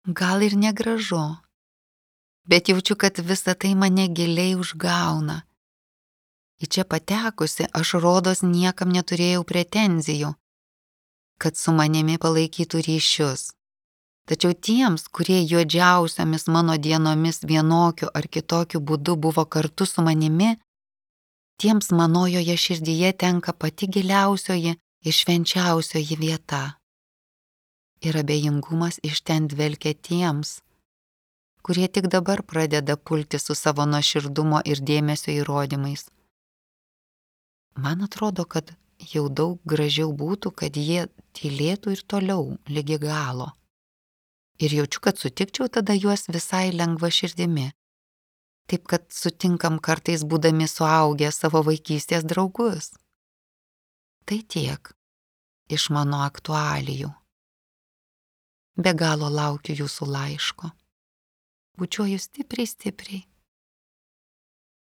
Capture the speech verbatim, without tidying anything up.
Gal ir negražu, bet jaučiu, kad visa tai mane giliai užgauna. Į čia patekusi aš rodos niekam neturėjau pretenzijų, kad su manimi palaikytų ryšius. Tačiau tiems, kurie juodžiausiamis mano dienomis vienokiu ar kitokiu būdu buvo kartu su manimi, tiems manojoje širdyje tenka pati giliausioji ir švenčiausioji vieta. Ir abejingumas iš ten dvelkia tiems, kurie tik dabar pradeda pulti su savo nuoširdumo ir dėmesio įrodymais. Man atrodo, kad jau daug gražiau būtų, kad jie tylėtų ir toliau ligi galo. Ir jaučiu, kad sutikčiau tada juos visai lengva širdimi. Taip, kad sutinkam kartais būdami suaugę savo vaikystės draugus. Tai tiek iš mano aktualijų. Be galo laukiu jūsų laiško. Bučiuoju stipriai, stipriai.